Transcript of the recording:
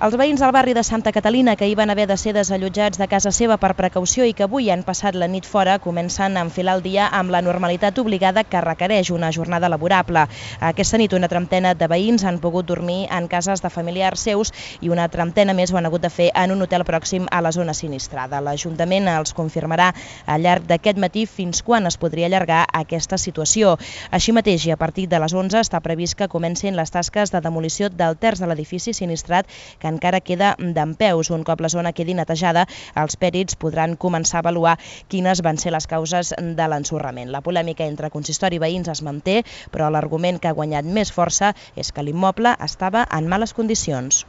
Els veïns del barri de Santa Catalina, que hi van haver de ser desallotjats de casa seva per precaució i que avui han passat la nit fora, comencen a enfilar el dia amb la normalitat obligada que requereix una jornada laborable. Aquesta nit una trentena de veïns han pogut dormir en cases de familiars seus i una trentena més ho han hagut de fer en un hotel pròxim a la zona sinistrada. L'Ajuntament els confirmarà al llarg d'aquest matí fins quan es podria allargar aquesta situació. Així mateix, i a partir de les 11, està previst que comencin les tasques de demolició del terç de l'edifici sinistrat que encara queda dempeus. Un cop la zona quedi netejada, els pèrits podran començar a avaluar quines van ser les causes de l'ensorrament. La polèmica entre consistori i veïns es manté, però l'argument que ha guanyat més força és que l'immoble estava en males condicions.